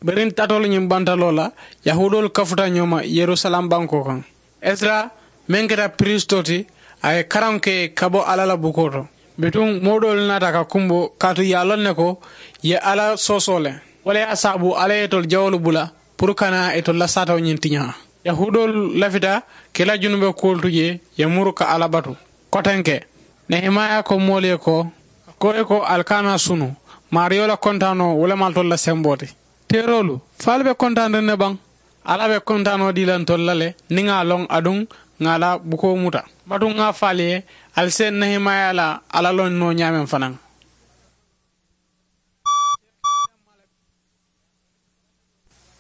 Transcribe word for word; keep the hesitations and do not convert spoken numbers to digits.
Biriŋ tatoolu ñiŋ bantaloo la, yahuudoolu kafuta ñoo ma yerusalem bankoo kaŋ. Esira, meŋ keta piriistoo ti, a ye karaŋo ke ka bo alla la bukoo to. Bituŋ moo doolu naata ka kumbo kaatu ye a loŋ ne ko, ye alla soosoo le. Wo le ye a saabu alla ye itolu jawoolu bula puru kana itolu la saatoo ñiŋ tiñaa. Yahuudoolu lafita ka i la junube kuwolu tu jee ye muru ka alla batu. Kotenke, nehemaya ko moolu ye ko, ko i ko ali kana sunu, maariyo la kontaanoo wo le maalitolu la semboo ti. Teeroolu, faalu be kontaaniriŋ ne baŋ? Alla be kontaanoo dii la ntolu la le, niŋ ŋa a loŋ aduŋ ŋa a la bukoo muta. Batuŋ ŋa a faalu ye, ali se nehemaya la alla loŋ noo ñaameŋ fanaa.